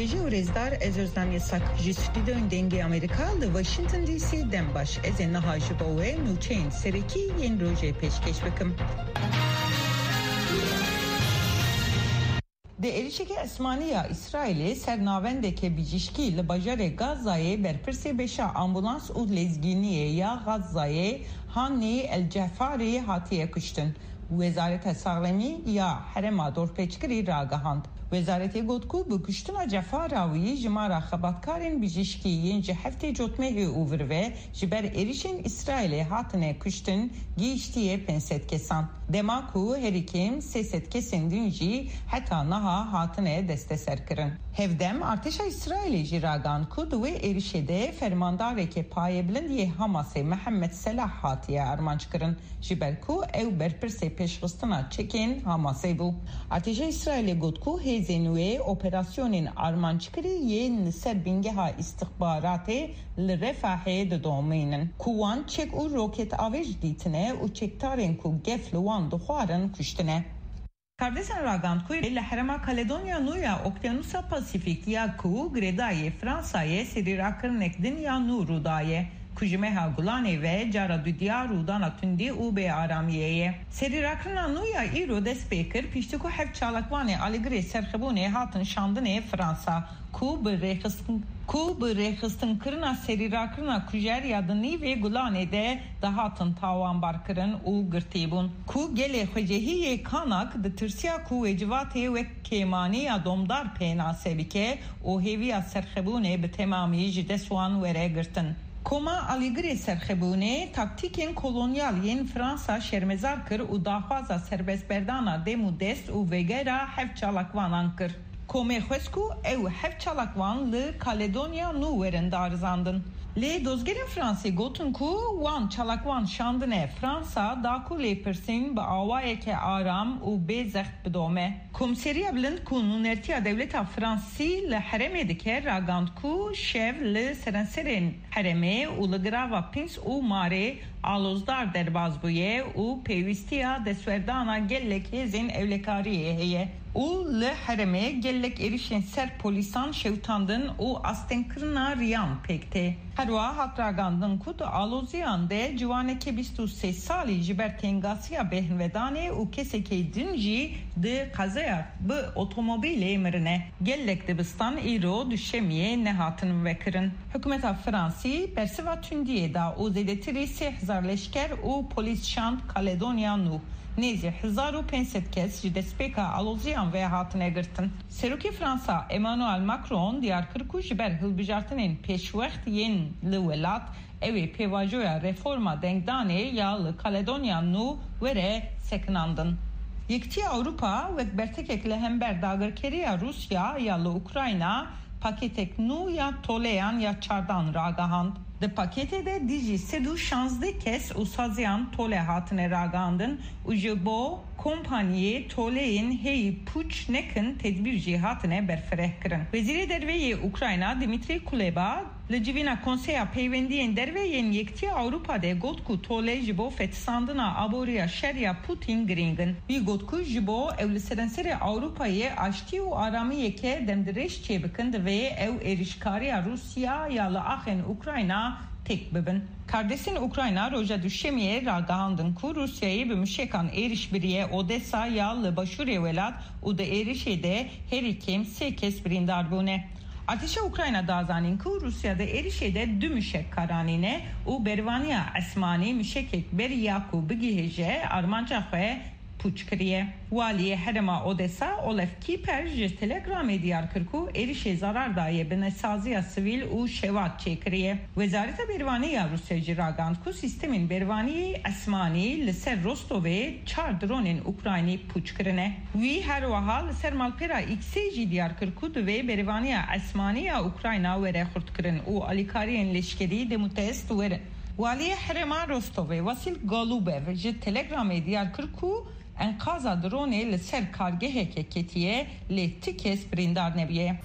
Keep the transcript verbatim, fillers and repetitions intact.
Ji û rêzdar, ez Özlem Yasak, ji stûdyoyên Dengê Amerîka li Washington D C dem baş. Ez ê niha ji bo we nûçeyên serekî yên rojê pêşkêş bikim. Di êrişeke esmanî ya Îsraîlê ser navendeke bijîşkî li bajarê Gazayê berpirsê beşa ambulans û lezgîniyê ya Gazayê Hanî El Cefarî hatiye kuştin. Wezareta Saxlemî ya Herêma Dorpêçkirî ragihand. Wezaretê got ku bi kuştina Cefara wî jimara xebatkarên bijîşkî yên ji heftê Cotmehê û vir ve ji ber êrişên Îsraîlê hatine kuştin gihîştiye pênc sed kesan. Dema ku herî kêm sê sed kesên din jî heta niha hatine desteserkirin. Hevdem, artêşa Îsraîlê jî ragihand ku di wê êrişê de fermandarekê payebilind yê Hamasê Mihemed Selah hatiye armanckirin. Ji ber ku ew berpirsê pêşxistina çekên Hamasê bû. Artêşa Îsraîlê got ku hêzên wê operasyonên armanckirî yên li ser bingeha îstixbaratê li Refahê didomînin, ku wan çek û roketavêj dîtine û çekdarên ku gef li wan dixwarin kuştine. Kardesen ragand ku li herêma Kaledonya Nû ya Okyanusa Pasîfîk ya ku girêdayî Fransayê serîrakirinek din ya nû rû daye, ku ji meha Gulanê ve cara dudiya rûdana tundî û bêaramiyê ye. Serîrakirina nû ya îro dest pê kir, piştî ku heft çalakvanê alîgirê serxebûnê hatin şandinê Fransa, ku bi rêxistin, ku bi rêxistinkirina serîrakirina kujer ya di nîvê Gulanê de dihatin tawanbarkirin û girtî bûn, ku gelê xwecehî yê Kanak ditirsiya ku wê civatê wek kêmanî ya domdar pênase bike û hêviya serxebûnê bi temamî ji dest wan were girtin. Koma alîgirê serxebûnê taktîkên kolonyal yên Fransa şermezar kir û daxwaza serbestberdana dem û dest û vegera heft çalakvanan kir. Komê xwest ku ew heft çalakvan li Kaledonya Nû werin darizandin. Lê dozgerên Fransê gotin ku wan çalakvan şandine Fransa da ku lêpirsîn bi awayeke aram û bê zext bidome. Komîseriya Bilind ku nûnertiya dewleta Fransî li herêmê dike, ragand ku şev li serenserên herêmê û li girava Pins û Marê alozdar derbas bûye û pêwîstiya destwerdana gelek hêzên ewlekariyê heye û li herêmê gelek êrişên ser polîsan şewitandin û astengkirina riyan pêk tê. Herwiha hat ragandin ku di aloziyan de ciwanekê bîst û sê salî ji ber tengasiya bêhnvedanê û kesekê din jî di qezaya bi otomobîlê mirine. Gelek dibistan îro duşemiyê nehatin vekirin. Hikûmeta Fransî bersiva tundiyê da û zêdetirî sê hezar leşker û polîs şand Kaledonya Nû. Nêzî hezar û pênc sed kes ji destpêka aloziyan ve hatine girtin. Serokê Fransa Emmanuel Macron diyar kir ku ji ber hilbijartinên pêşwext yên li welat, ew ê pêvajoya reforma dengdanê ya li Kaledonya Nû were sekinandin. Yekîtiya Ewropa wek bertekek li hember dagirkeriya Rûsya ya li Ukrayna, pakêtek nû ya toleyan ya çardan ragihand. Di pakêtê de dijî sed û şazdeh kes û saziyan tole hatine ragihandin û ji bo kompaniyê toleyên heyî pûç nekin tedbîr jî hatine berfireh kirin. Wezîrê Derve yê Ukrayna Dmytro Kuleba li civîna Konseya Peywendiyên Derve yên Yekîtiya Ewropa de got ku tole ji bo fetisandina aboriya şer ya Putin girîng in. Wî got ku ji bo ew li serenserê Ewropayê aştî û aramiyeke demdirêj çêbikin, divê ew êrişkariya Rûsya ya li axên Ukrayna têk bibin. Kardesên Ukrayna roja Duşemiyê ragihandin ku Rûsyayê bi muşekan êriş biriye Odesa ya li başûrê welat û di êrişê de herî kêm sê kes birîndar bûne. Artêşa Ukrayna da zanîn ku Rûsya di êrişê de du muşek karanîne û bervaniya esmanî muşekek berî ya ku bigihêje armanca xwe pûç kiriye. Waliyê herêma Odesa Olef Kiper ji Telegramê diyar kir ku êrişê zarar daye binesaziya sivîl û şewat çêkiriye. Wezareta Bervanî ya Rûsya jî ragand ku sîstemên bervaniyê esmanî li ser Rostovê çar dronên Ukraynî pûç kirine. Wî her wiha li ser malpera X'ê jî diyar kir ku divê berevaniya esmanî ya Ukrayna were xurtkirin û alîkariyên leşkerî demûdest werin. Waliyê herêma Rostovê Vasil Galubev ji Telegramê diyar kir ku enqaza dronê li ser kargeheke ketiye, lê ti kes birîndar nebûye.